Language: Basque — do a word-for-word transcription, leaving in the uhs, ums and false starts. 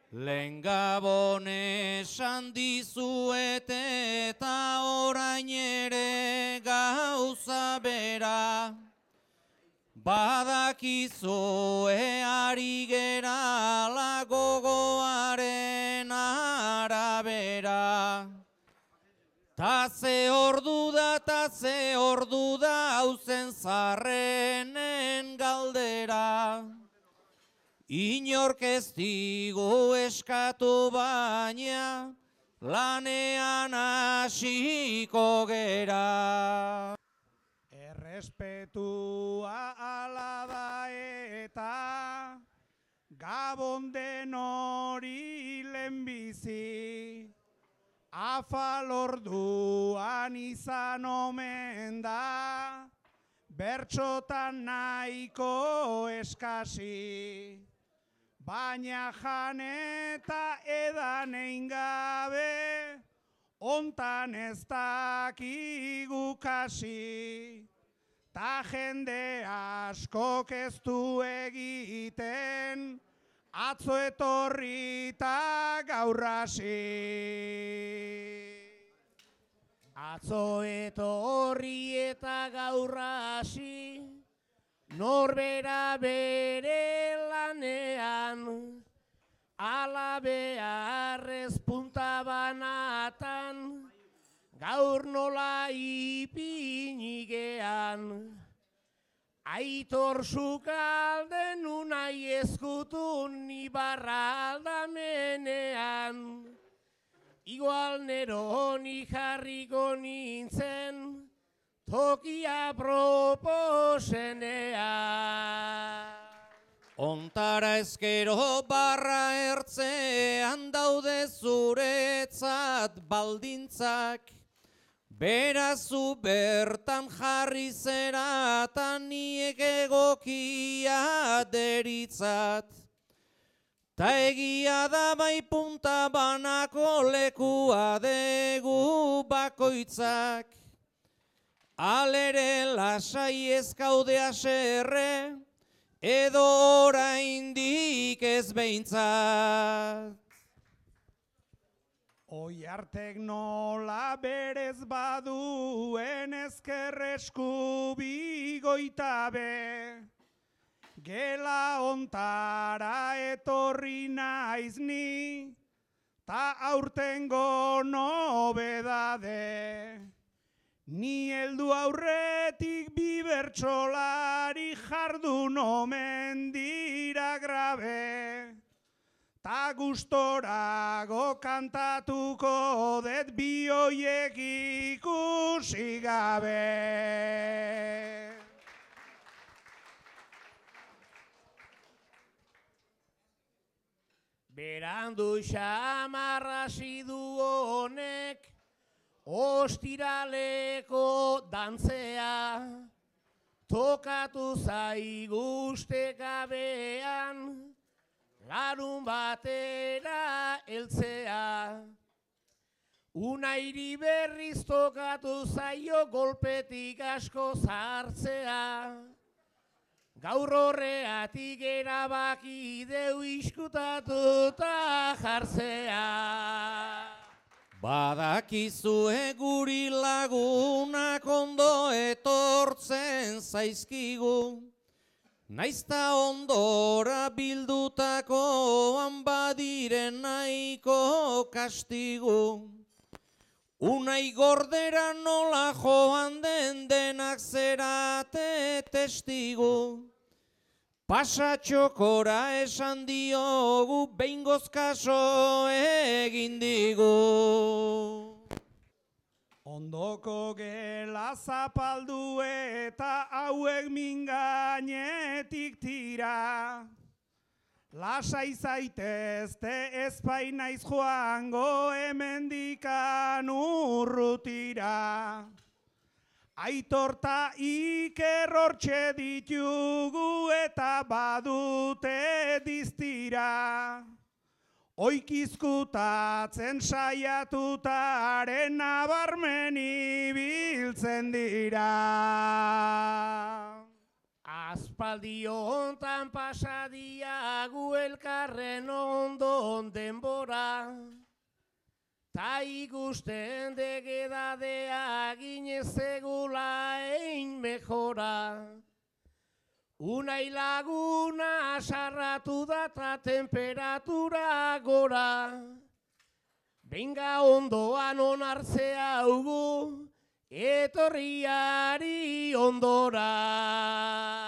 Lehen Gabon esan dizuet eta orain ere gauza bera, badakizue ari gerala gogoaren arabera. Ta ze ordu da, ta ze ordu da, hauzen zarrenen galdera. Inork ez digu eskatu baina, lanean hasiko gera. Errespetua ala da eta, Gabon den hori lehenbizi. Afal orduan izan omen da, bertxotan nahiko eskasi. Baina jan eta edan egin gabe, ontan ez dakigu kasi. Ta jende askok ez du egiten, atzo etorri eta gaur hasi. Atzo etorri eta gaur hasi, norbera bere lanean, ala beharrez punta banatan, gaur nola ipinigean. Aitor sukalden unai ezkutun ibarra aldamenean, igual neroni jarriko nintzen, tokia proposenean. Ontara ezkero barra ertzean daude zuretzat baldintzak, berazu bertan jarri zeratan niek egokia deritzat. Ta egia da bai punta banako lekua degu bakoitzak, alere lasai ez gaude haserre, edo oraindik ez behintzat. Oiartek nola berez baduen ezker eskubi goitabe, gela ontara etorri naiz ni, ta aurtengo nobedade. Ni heldu aurretik bi bertsolari jardun omen dira grabe, ta gustorago kantatuko det bi hoiek ikusi gabe. Berandu xamarrasi du honek, ostiraleko dantzea, tokatu zaigu ustekabean, larun batera heltzea. Unairi berriz tokatu zaio golpetik asko zartzea, gaur horreatik erabaki deu iskutatuta jartzea. Badakizue guri lagunak ondo etortzen zaizkigu, naizta ondora bildutakoan badiren nahiko kastigu. Unai gordera nola joan den denak zerate testigu, pasatxokora esan diogu behingoz kaso egin digu. Ondoko gela zapaldu eta hauek mingainetik tira, lasai zaitezte ezpai naiz joango hemendikan urrutira. Aitorta Iker hortxe ditugu eta badute diztira. Oikizkutatzen saiatutaren nabarmen ibiltzen dira. Aspaldi hontan pasadiagu elkarren ondon ta ikusten degedadea ginezegula ein mejora. Unai laguna sarratu da ta temperatura gora. Benga ondoan onartzea ugu, etorriari ondora.